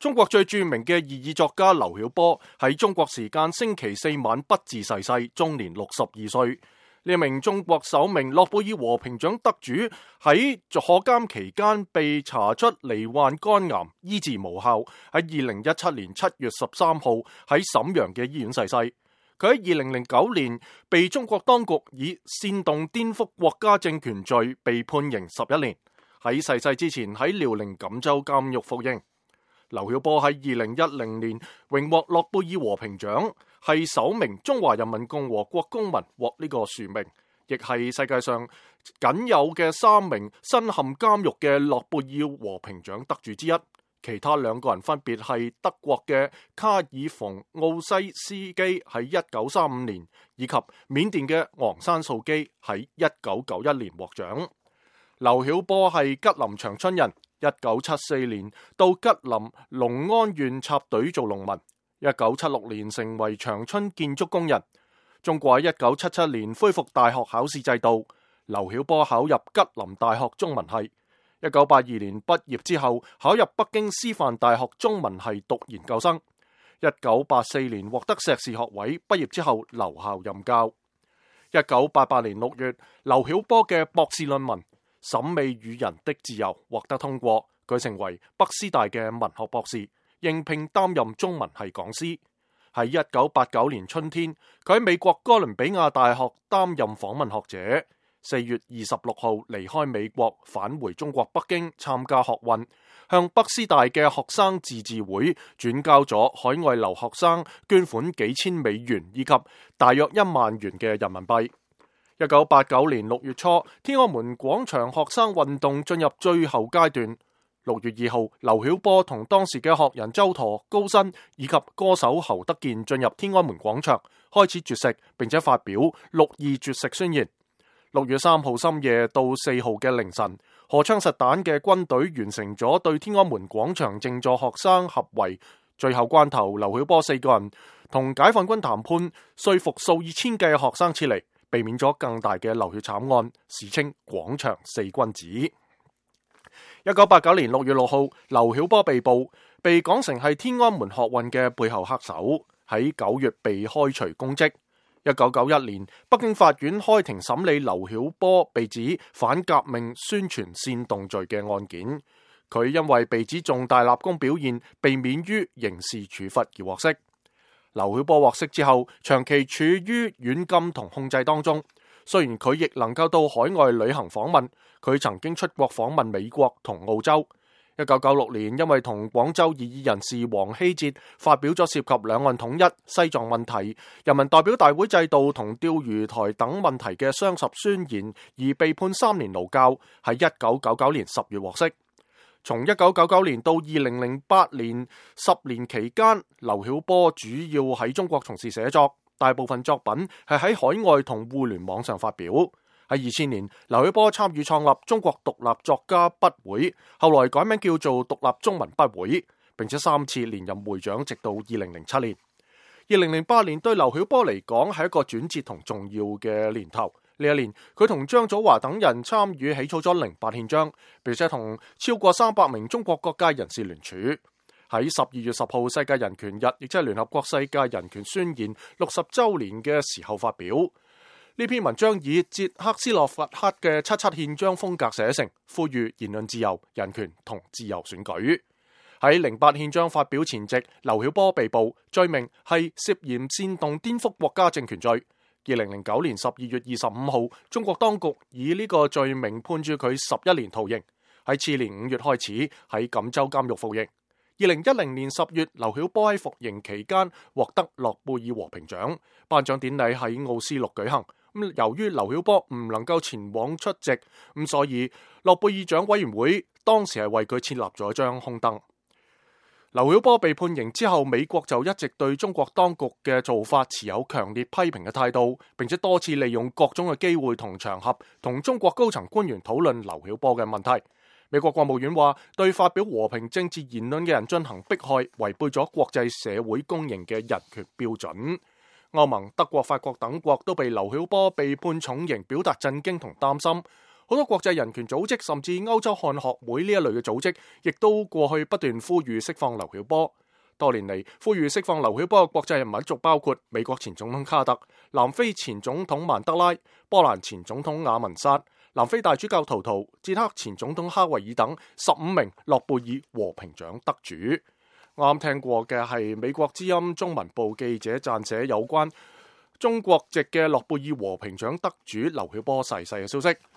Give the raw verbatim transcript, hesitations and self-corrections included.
中國最著名嘅異議作家劉曉波喺中國時間星期四晚不治逝世，終年六十二歲。呢名中國首名諾貝爾和平獎得主喺坐監期間被查出罹患肝癌，醫治無效，喺二零一七年七月十三號喺瀋陽嘅醫院逝世。佢喺二零零九年被中國當局以煽動顛覆國家政權罪被判刑十一年，喺逝世之前喺遼寧錦州監獄服刑。劉曉波喺二零一零年榮獲諾貝爾和平獎，係首名中華人民共和國公民獲呢個殊名，亦係世界上僅有嘅三名身陷監獄嘅諾貝爾和平獎得主之一。其他兩個人分別係德國嘅卡爾馮奧西斯基喺一九三五年，以及緬甸嘅昂山素基喺一九九一年獲獎。劉曉波係吉林長春人。一九七四年到吉林龍安縣插隊做農民，一九七六年成為長春建築工人。中國喺一九七七年恢復大學考試制度，劉曉波考入吉林大學中文系。一九八二年畢業之後，考入北京師範大學中文系讀研究生。一九八四年獲得碩士學位，畢業之後留校任教。一九八八年六月，劉曉波嘅博士論文審美與人的自由獲得通過，佢成為北師大嘅文學博士，應聘擔任中文系講師。喺一九八九年春天，佢喺美國哥倫比亞大學擔任訪問學者。四月二十六號離開美國，返回中國北京參加學運，向北師大嘅學生自治會轉交咗海外留學生捐款幾千美元以及大約一萬元嘅人民幣。一九八九年六月初，天安門廣場學生運動進入最後階段。六月二號，劉曉波同當時嘅學人周舵、高新以及歌手侯德健進入天安門廣場，開始絕食，並且發表六二絕食宣言。六月三號深夜到四號嘅凌晨，荷槍實彈嘅軍隊完成咗對天安門廣場靜坐學生合圍。最後關頭，劉曉波四個人同解放軍談判，說服數以千計嘅學生撤離，避免咗更大嘅流血慘案，史稱廣場四君子。一九八九年六月六號，劉曉波被捕，被講成係天安門學運嘅背後黑手，喺九月被開除公職。一九九一年，北京法院開庭審理劉曉波被指反革命宣傳煽動罪嘅案件，佢因為被指重大立功表現，被免於刑事處罰而獲釋。劉曉波獲釋之後，長期處於軟禁同控制當中。雖然佢亦能夠到海外旅行訪問，佢曾經出國訪問美國同澳洲。一九九六年，因為同廣州異議人士黃希哲發表咗涉及兩岸統一、西藏問題、人民代表大會制度同釣魚台等問題嘅雙十宣言，而被判三年勞教，喺一九九九年十月獲釋。從一九九九年到二零零八年十年期間，劉曉波主要喺中國從事寫作，大部分作品係喺海外同互聯網上發表。喺二千年，劉曉波參與創立中國獨立作家筆會，後來改名叫做獨立中文筆會，並且三次連任會長，直到二零零七年。二零零八年對劉曉波嚟講係一個轉折同重要嘅年頭。呢一年，佢同張祖華等人參與起草咗零八憲章，並且同超過三百名中國各界人士聯署。喺十二月十號世界人權日，亦即係聯合國世界人權宣言六十週年嘅時候發表。呢篇文章以捷克斯洛伐克嘅七七憲章風格寫成，呼籲言論自由、人權同自由選舉。喺零八憲章發表前夕，劉曉波被捕，罪名係涉嫌煽動顛覆國家政權罪。二零零九年十二月二十五號，中國當局以呢個罪名判處佢十一年徒刑。喺次年五月開始喺錦州監獄服刑。二零一零年十月，劉曉波喺服刑期間獲得諾貝爾和平獎，頒獎典禮喺奧斯陸舉行。咁由於劉曉波唔能夠前往出席，咁所以諾貝爾獎委員會當時係為佢設立咗一張空燈。劉曉波被判刑之後，美國就一直對中國當局嘅做法持有強烈批評嘅態度，並且多次利用各種嘅機會同場合同中國高層官員討論劉曉波嘅問題。美國國務院話，對發表和平政治言論嘅人進行迫害，違背咗國際社會公認嘅人權標準。歐盟、德國、法國等國都被劉曉波被判重刑表達震驚同擔心。好多國際人權組織甚至歐洲漢學會呢一類嘅組織，亦都過去不斷呼籲釋放劉曉波。多年嚟，呼籲釋放劉曉波嘅國際人物仲包括美國前總統卡特、南非前總統曼德拉、波蘭前總統雅文薩、南非大主教圖圖、捷克前總統哈維爾等十五名諾貝爾和平獎得主。啱啱聽過嘅係美國之音中文部記者撰寫有關中國籍嘅諾貝爾和平獎得主劉曉波逝世嘅消息。